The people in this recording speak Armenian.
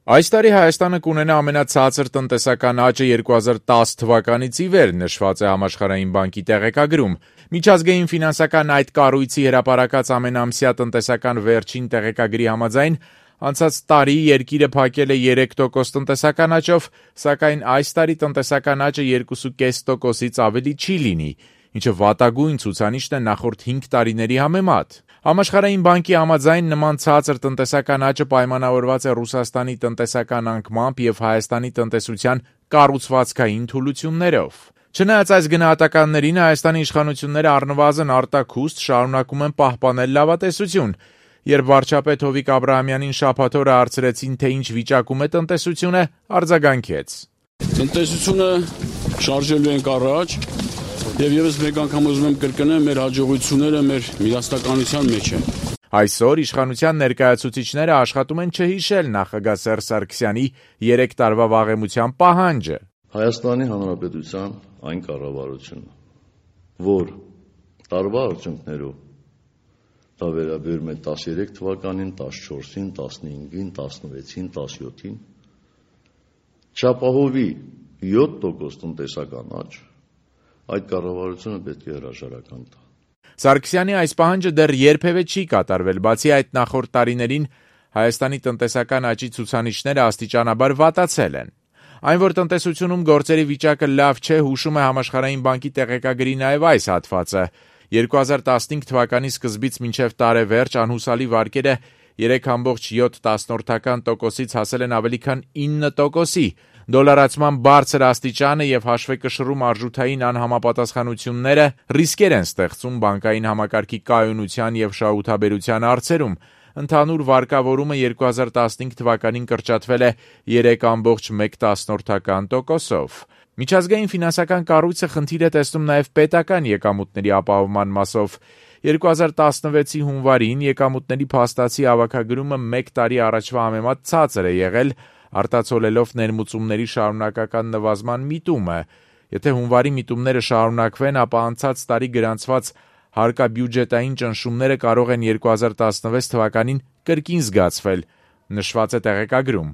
Այս տարի Հայաստանը կունենա ամենացածր տնտեսական աճը 2010 թվականից ի վեր, նշված է Համաշխարհային բանկի տեղեկագրում։ Միջազգային ֆինանսական այդ կառույցի հրապարակած ամենամսյա տնտեսական վերջին տեղեկագրի համաձայն անցած տարի երկիրը փակել է 3% տնտեսական աճով, սակայն այս տարի տնտեսական աճը 2.5%-ից ավելի չի լինի, ինչը վատագույն ցուցանիշն է նախորդ 5 տարիների համեմատ։ Համաշխարհային բանկի համաձայն նման ցածր տնտեսական աճը պայմանավորված է Ռուսաստանի տնտեսական անկմամբ եւ Հայաստանի տնտեսության կառուցվածքային թուլություններով։ Չնայած այս գնահատականներին, Հայաստանի իշխանությունները առնվազն արտաքուստ շարունակում են պահպանել լավատեսություն։ Երբ վարչապետ Հովիկ Աբրահամյանին շաբաթ օրը հարցրեցին, թե ինչ վիճակում է տնտեսությունը, արձագանքեց. Տնտեսությունը շարժելու ենք առաջ եւ եւս մեկ անգամ ուզում եմ կրկնել, մեր հաջողությունները մեր միասնականության մեջ են։ Այսօր իշխանության ներկայացուցիչները աշխատում են չհիշել նախագահ Սերժ Սարգսյանի 3 տարվա վաղեմության պահանջը։ Հայաստանի Հանրապետության այն կառավարությունը, որ տարվա արդյունքներով դա վերաբերում է 13 թվականին, 14-ին, 15-ին, 16-ին, 17-ին, չապահովի 7% տնտեսական աճ, այդ կառավարությունը պետք է հրաժարական տա։ Սարգսյանի այս պահանջը դեռ երբևէ չի կատարվել, բացի այդ նախորդ տարիներին Հայաստանի տնտեսական աճի ցուցանիշները աստիճանաբար վատացել են։ Այն, որ տնտեսությունում գործերի վիճակը լավ չէ, հուշում է Համաշխարհային բանկի տեղեկագրի նաև այս հատվածը։ 2015 թվականի սկզբից մինչև տարեվերջ անհուսալի վարկերը 3.7%-ից հասել են ավելի քան 9%-ի։ Դոլարացման բարձր աստիճանը եւ հաշվեկշռում արժութային անհամապատասխանությունները ռիսկեր են ստեղծում բանկային համակարգի կայունության եւ շահութաբերության հարցերում։ Ընդհանուր վարկավորումը 2015 թվականին կրճատվել է 3.1%-ով։ Միջազգային ֆինանսական կառույցը խնդիր է տեսնում նաև պետական եկամուտների ապահովման մասով։ 2016-ի հունվարին եկամուտների փաստացի հավաքագրումը 1 տարի առաջվա համեմատ ցածր է եղել, արտացոլելով ներմուծումների շարունակական նվազման միտումը։ Եթե հունվարի միտումները շարունակվեն, ապա անցած տարի գրանցված հարկաբյուջետային ճնշումները կարող են 2016 թվականին կրկին զգացվել, նշված է տեղեկագրում։